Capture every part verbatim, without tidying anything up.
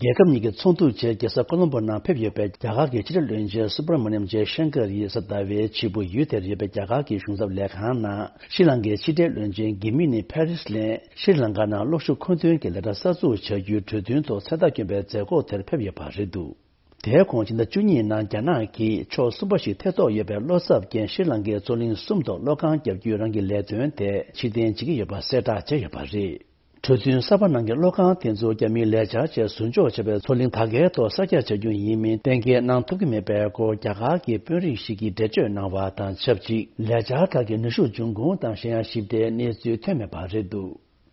རྒྱལ་ཁབ་གཉིས་ཀྱི་ཚོགས་འདུ་ཆེད་རྒྱལ་ས་ཀོ་ལོམ་པོ་ནང་ཕེབས་ཡོད་པའི་རྒྱ་གར་གྱི་ཕྱི་དྲིལ་བློན་ཆེན་སུ་བྷ་ར་མ་ནིམ་ཇེ་ཤང་ཀར་ཡིས་གཟའ་ཟླ་བའི་ཕྱི་པོ་ཡུལ་དེར་ཡོད་པའི་རྒྱ་གར་གྱི་གཞུང་ཚབ་ལས་ཁང་ནང་ཤྲི་ལང་ཀའི་ཕྱི་དྲིལ་བློན་ཆེན་གྷི་མི་ནི་ཕེ་རིས་ལན་ཤྲི་ལང་ཀ་ནང་གློག་ཤུགས་མཁོ་འདོན་གྱི་ལས་གྲྭ་གསར་འཛུགས་བྱ་རྒྱུའི་གྲོས་མཐུན་ཐོག་མཚན་རྟགས་བསྐྱོན་པའི་མཛད་སྒོ་དེར་ཕེབས་ཡོད་པ་རེད་འདུག་དེའི་གོང་ཕྱི་ཟླ་བཅུ་གཉིས་ནང་རྒྱ་ནག་གིས་ཕྱོགས་གསུམ་པ་ཞིག་ཐེ་གཏོགས་ཡོད་པའི་བློ་འཚབ་རྐྱེན་ཤྲི་ལང་ཀའི་མཚོ་གླིང་གསུམ་དུ་གློག་ཁང་བརྒྱབ་རྒྱུའི་རང་གི་ལས་དོན་དེ་ཕྱིར་འཐེན་བྱེད་ཀྱི་ཡོད་པ་གསལ་བསྒྲགས་བྱས་ཡོད་པ་རེད། གྲོས་མཐུན་གསར་པ་ནང་གི་གློག་ཁང་དེ་ཚོ་རྒྱ་མིའི་ལས་འཆར་བྱས་ཟུར་འཇོག་བྱས་པའི་མཚོ་གླིང་དར་རྒྱས་ཐོག་གསར་རྒྱག་བྱ་རྒྱུ་ཡིན་མིན་གཏན་འཁེལ་གནང་ཐུབ་ཀྱི་མེད་པའི་སྐོར་རྒྱ་གར་གྱི་དཔོན་རིགས་ཤིག་གིས་འགྲེལ་བརྗོད་གནང་བ་དང་ཆབས་ཅིག་ལས་འཆར་ཁག་གི་ནུས་ཤུགས་འབྱུང་ཁུངས་དང་གཞན་ཡང་ཞིབ་ཕྲའི་གནས་ཚུལ་ཐོན་མེད་པ་རེད་འདུག་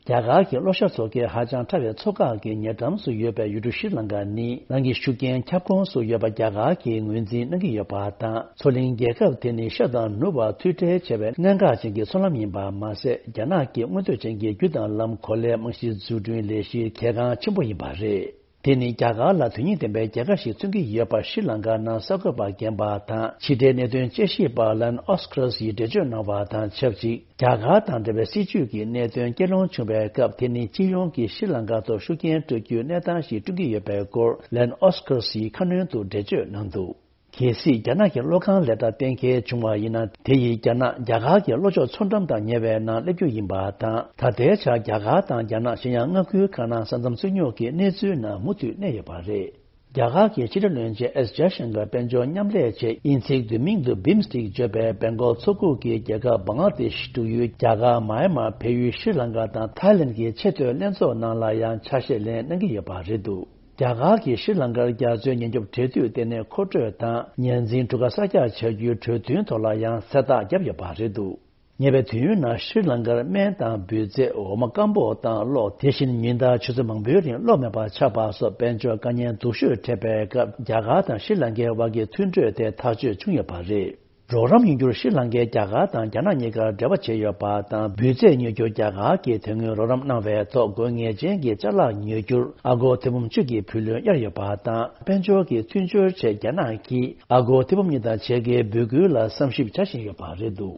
རྒྱ་གར་གྱི་གློག་ཤར་མཚོ་ཁའི་ཧ་ཅང་ཕྲ་བའི་མཚོ་འགག་གི་ཉེ་འགྲམ་སུ་ཡོད་པའི་ཡུལ་གྲུ་ཤྲི་ལང་ཀ་ནི་རང་གི་ཤུགས་རྐྱེན་ཁྱབ་ཁོངས་སུ་ཡོད་པ་རྒྱ་གར་གྱིས་ངོས་འཛིན་གནང་གི་ཡོད་པ་དང་། མཚོ་གླིང་རྒྱལ་ཁབ་དེ་ནི་ཤར་དང་ནུབ་བར་མཐུད་འབྲེལ་ཆེ་བའི་གནད་འགག་ཅན་གྱི་མཚོ་ལམ་ཡིན་པ་མ་ཟད། རྒྱ་ནག་གི་མངོན་འདོད་ཅན་གྱི་རྒྱུ་དང་ལམ་གོ་ལའི་རྨང་གཞི་འཛུགས་སྐྲུན་ལས་གཞིའི་གལ་འགངས་ཆེན་པོ་ཡིན་པ་རེད། དེ་ནི་རྒྱ་གར་ལ་དོན་སྙིང་ལྡན་པའི་རྒྱལ་ཁ་ཞིག་མཚོན་གྱི་ཡོད་པ་ཤྲི་ལང་ཀ་ནང་གསར་འགོད་པ་རྒན་པ་དང་ཕྱི་དྲིལ་གནད་དོན་དཔྱད་ཞིབ་པ་ལན་ཨོ་སི་ཁ་ར་སི་ཡིས་འགྲེལ་བརྗོད་གནང་བ་དང་ཆབས་ཅིག་རྒྱ་གར་དང་འབྲེལ་བའི་སྲིད་ཇུས་ཀྱི་གནད་དོན་སྐྱེལ་སློང་བྱུང་བའི་སྐབས། དེ་ནི་སྤྱི་ཡོངས་ཀྱི་ཤྲི་ལང་ཀ་ཐོག་ཤུགས་རྐྱེན་སྤྲོད་རྒྱུའི་གནས་སྟངས་ཤིག་བསྐྲུན་གྱི་ཡོད་པའི་སྐོར་ལན་ཨོ་སི་ཁ་ར་སི་ཡིས་ཁ་སྣོན་དུ་འགྲེལ་བརྗོད་གནང་འདུག་གལ་སྲིད་རྒྱ་ནག་གི་གློག་ཁང་ལས་གྲྭ་གཏན་འཁེལ་བྱུང་བ་ཡིན་ན། དེ་ཡིས་རྒྱ་ནག་རྒྱ་གར་གྱི་གློག་ཕྱོགས་མཚོ་འགྲམ་དང་ཉེ་བའི་ནང་སླེབས་རྒྱུ་ཡིན་པ་དང་། ད་ལྟའི་ཆར་རྒྱ་གར་དང་རྒྱ་ནག་གཞན་ཡང་མངའ་ཁུལ་ཁག་ནང་ས་མཚམས་རྩོད་རྙོག་གི་གནས་ཚུལ་ནང་མུ་མཐུད་གནས་ཡོད་པ་རེད། རྒྱ་གར་གྱི་ཕྱི་དྲིལ་བློན་ཆེན་ཨེས་ཇཱ་ཤང་ཀར་དཔལ་འབྱོར་མཉམ་ལས་ཆེད་དབྱིན་ཚིག་བསྡུས་མིང་དུ་བིམ་སི་ཊེག་བརྗོད་པའི་སྦེང་གོག་མཚོ་ཁུག་གི་རྒྱལ་ཁབ་བང་ལ་དེ་ཤི་འབྲུག་ཡུལ། རྒྱ་གར། མཱ་ཡན་མར། བལ་ཡུལ། ཤྲི་ལང་ཀ་དང་ཐའི་ལེན་གྱི་ཆེས་མཐོའི་ལྷན་ཚོགས་ནང་ལ་ཡང་ཆ་ཤས་ལེན་གནང་གི་ཡོད་པ་རེད་འདུག་རྒྱ་གར་གྱིས་ཤྲི་ལང་ཀར་རྒྱ་མཚོའི་ཉེན་སྐྱོབ་འབྲེལ་མཐུད་ལྟེ་གནས་མཁོ་སྤྲོད་དང་ཉར་འཛིན་གྲུ་ཁ་གསར་རྒྱག་བྱ་རྒྱུའི་གྲོས་མཐུན་ཐོག་ལ་ཡང་གསལ་བསྒྲགས་བརྒྱབ་ཡོད་པ་རེད་འདུག་ཉེ་བའི་དུས་ཡུན་ནང་ཤྲི་ལང་ཀར་སྨན་དང་འབུད་རྫས། འོ་མ། སྐམ་པོ་དང་གློག་དེ་བཞིན་ཉིན་ལྟར་ཆུ་ཚོད་མང་པོའི་རིང་གློག་མེད་པར་ཆགས་པ་སོགས་དཔལ་འབྱོར་དཀའ་ངལ་སྡུག་ཤོས་འཕྲད་པའི་སྐབས། རྒྱ་གར་དང་ཤྲི་ལང་ཀའི་དབར་གྱི་མཐུན་གྲོས་དེ་ཐག་གཅོད་བྱུང་ཡོད་པ་རེད། རོགས་རམ་ཡོང་རྒྱུར་ཤྲི་ལང་ཀས་རྒྱ་གར་དང་རྒྱ་ནག་གཉིས་ཀར་འབྲེལ་བ་བྱས་ཡོད་པ་དང་། འབུད་རྫས་ཉོ་རྒྱུར་རྒྱ་གར་གྱིས་དོན་དངོས་རོགས་རམ་གནང་བའི་ཐོག་དགོས་ངེས་ཅན་གྱི་ཅ་ལག་ཉོ་རྒྱུར་ཨ་སྒོར་ཐེར་འབུམ་བཅུ་གི་བུ་ལོན་གཡར་ཡོད་པ་དང་། དཔལ་འབྱོར་གྱི་མཐུན་སྦྱོར་ཆེད་རྒྱ་ནག་གིས་ཨ་སྒོར་ཐེར་འབུམ་གཉིས་དང་ཕྱེད་ཀའི་འབོད་སྐུལ་ལ་བསམ་ཞིབ་བྱ་བཞིན་ཡོད་པ་རེད་འདུག་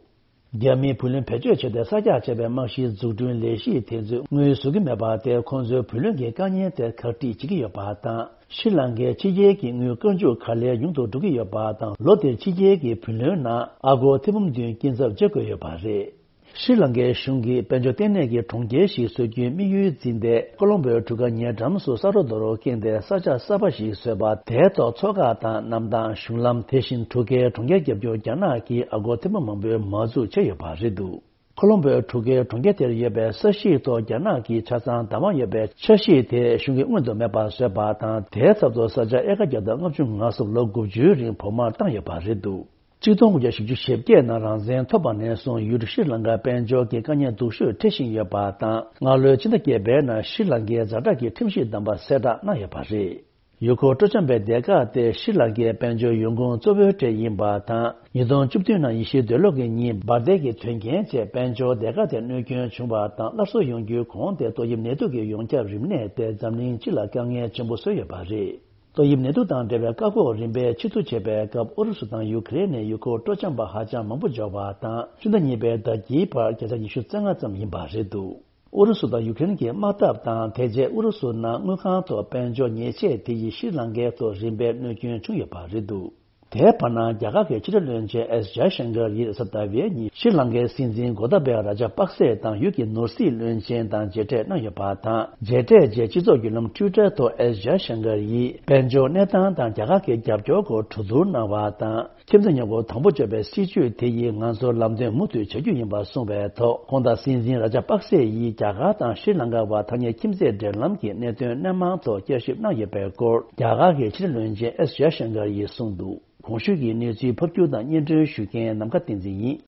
རྒྱ་མིའི་བུ་ལོན་བེད་སྤྱོད་བྱས་ཏེ་གསར་རྒྱག་བྱས་པའི་རྨང་གཞིའི་འཛུགས་སྐྲུན་ལས་གཞི་དེ་ཚོས་དངུལ་བཟོ་གི་མེད་པ་དེས་ཁོང་ཚོའི་བུ་ལོན་གྱི་དཀའ་ངལ་དེ་ཁག་དཀྲིས་བྱེད་ཀྱི་ཡོད་པ་དང་། ཤྲི་ལང་ཀའི་ཕྱི་རྒྱལ་གྱི་དངུལ་བཀའ་འཇུག་ག་ལེར་ཉུང་དུ་འགྲོ་གི་ཡོད་པ་དང་། ལོ་དེར་ཕྱི་རྒྱལ་གྱི་བུ་ལོན་ནང་ཨ་སྒོར་ཐེར་འབུམ་བདུན་སྐྱིན་ཚབ་འཇལ་དགོས་ཡོད་པ་རེད། ཤྲི་ལང་ཀའི་གཞུང་གིས་དཔལ་འབྱོར་ལྟེ་གནས་ཀྱི་གྲོང་ཁྱེར་ཞིག་བཟོ་རྒྱུའི་དམིགས་ཡུལ་འཛིན་ཏེ། ཀོ་ལོམ་བོའི་གྲུ་ཁ་ཉེ་འགྲམ་སུ་ས་རོ་རྡོ་རོ་བསྐྱིངས་ཏེ་ས་ཆ་གསར་པ་ཞིག་བཟོས་པ། དེའི་ཐོག་མཚོ་འགག་དང་གནམ་ཐང་། གཞུང་ལམ། དེ་བཞིན་གྲུ་ཁའི་གྲོང་ཁྱེར་བརྒྱབ་རྒྱུར་རྒྱ་ནག་གིས་ཨ་སྒོར་ཐེར་འབུམ་མང་པོའི་མ་འཛུགས་བྱས་ཡོད་པ་རེད་འདུག་ཀོ་ལོམ་བོའི་གྲུ་ཁའི་གྲོང་ཁྱེར་དེར་ཡོད་པའི་ས་གཞིའི་ཐོག་རྒྱ་ནག་གིས་ཆ་ཚང་བདག་དབང་ཡོད་པའི་འཆར་གཞི་དེ་གཞུང་གིས་སྔོན་དུ་མེད་པར་བཟོས་པ་དང་། དེའི་ཚབ་ཏུ་ས་ཆ་ཨེ་ཀར་བརྒྱ་དང་ལྔ་བཅུ་ང་གསུམ་ལོ་དགུ་བཅུའི་རིང་བོགས་མར་བཏང་ཡོད་པ་རེད་འདུག་ཆིག་སྟོང་དགུ་བརྒྱ་བཞི་བཅུ་ཞེ་བརྒྱད་ནང་རང་བཙན་ཐོབ་པ་ནས་བཟུང་ཡུལ་གྲུ་ཤྲི་ལང་ཀར་དཔལ་འབྱོར་གྱི་དཀའ་ངལ་སྡུག་ཤོས་འཕྲད་བཞིན་ཡོད་པ་དང་། སྔ་ལོའི་ཕྱི་ཟླ་བརྒྱད་པའི་ནང་ཤྲི་ལང་ཀའི་ཛ་དྲག་གི་ཁྲིམས་གཞི་བསྡམས་པ་གསལ་བསྒྲགས་གནང་ཡོད་པ་རེད། ཡུལ་སྐོར་སྤྲོ་འཆམ་པའི་སྡེ་ཁག་སྟེ་ཤྲི་ལང་ཀའི་དཔལ་འབྱོར་ཡོང་ཁུངས་གཙོ་བོའི་གྲས་ཡིན་པ་དང་། ཉིས་སྟོང་བཅུ་བདུན་ནང་ཡེ་ཤུའི་འདོད་བློ་གི་གཉིས་འབར་མདེལ་གྱི་དོན་རྐྱེན་བཅས་དཔལ་འབྱོར་སྡེ་ཁག་དེར་གནོད་སྐྱོན་བྱུང་བ་དང་། སླར་གསོ་ཡོང་རྒྱུའི་གོང་དེ་ཏོག་དབྱིབས་ནད་དུག་གི་ཡོངས་ཁྱབ་རིམས་ནད་དེ་འཛམ་གླིང་སྤྱི་ལ་དཀའ་ངལ་ཆེན་པོ་བཟོས་ཡོད་པ་རེད། ཏོག་དབྱིབས་ནད་དུག་དང་འབྲེལ་བའི་བཀག་འགོག་རིམ་པས་ཕྱིར་བསྡུ་བྱས་པའི་སྐབས། ཨུ་རུ་སུ་དང་ཡུ་ཁེ་རེན་ནས་ཡུལ་སྐོར་སྤྲོ་འཆམ་པ་ཧ་ཅང་མང་པོ་འབྱོར་བ་དང་། ཕྱི་ཟླ་གཉིས་པའི་ཟླ་དཀྱིལ་བར་བརྒྱ་ཆ་ཉི་ཤུ་རྩ་ལྔ་ཙམ་ཡིན་པ་རེད་འདུག་ཨུ་རུ་སུ་དང་ཡུ་ཀེ་རེན་གྱི་དམག་འཐབ་དང་། དེ་རྗེས་ཨུ་རུ་སུ་ནང་དངུལ་ཁང་ཐོག་དཔལ་འབྱོར་ཉེས་ཆད་དེ་ཡིས་ཤྲི་ལང་ཀའི་ཐོག་རིམ་པས་གནོད་སྐྱོན་བྱུང་ཡོད་པ་རེད་འདུག་དེའི་བར་ན། རྒྱ་གར་གྱི་ཕྱི་དྲིལ་བློན་ཆེན་ཨེས་ཇཱ་ཤང་ཀར་ཡིས་གཟའ་ཟླ་བའི་ཉིན་ཤྲི་ལང་ཀའི་སྲིད་འཛིན་གོ་ཏ་བེ་ར་ཇ་པག་སེ་དང་ཡུལ་གྱི་ནོར་སྲིད་བློན་ཆེན་དང་མཇལ་འཕྲད་གནང་ཡོད་པ་དང་། མཇལ་འཕྲད་རྗེས་སྤྱི་ཚོགས་བརྒྱུད་ལམ་ཊུའི་ཊར་ཐོག་ཨེས་ཇཱ་ཤང་ཀར་ཡིས་དཔལ་འབྱོར་གནས་སྟངས་དང་རྒྱ་གར་གྱི་རྒྱབ་སྐྱོར་སྐོར་གྲོས་བསྡུར་གནང་བ་དང་། ཁྱིམ་མཚེས་མཉམ་འཁོར་དང་པོ་གཅོད་པའི་སྲིད་བྱུས་དེ་ཡིས་ང་ཚོར་ལམ་སྟོན་མུ་མཐུད་བྱ་རྒྱུ་ཡིན་པ་གསུངས་པའི་ཐོག་ཁོང་དང་སྲིད་འཛིན་ར་ཇ་པག་སེ་ཡིས་རྒྱ་གར་དང་ཤྲི་ལང་ཀ་བར་ཐ་སྙད་ཁྱིམ་མཚེས་འབྲེལ་ལམ་གྱི་གནད་དོན་སྣེ་མང་ཐོག་བསྐྱར་ཞིབ་གནང་ཡོད་པའི་སྐོར་རྒྱ་གར་གྱི་ཕྱི་དྲིལ་བློན་ཆེན་ཨེས་ཇཱ་ཤང་ཀར་ཡིས་གསུངས་འདུག་གོང་ཞུས་ཀྱི་གནས་ཚུལ་ཕབ་སྒྱུར་དང་སྙན་སྒྲོན་ཞུ་མཁན་ནམ་མཁའ་བསྟན་འཛིན་ཡིན།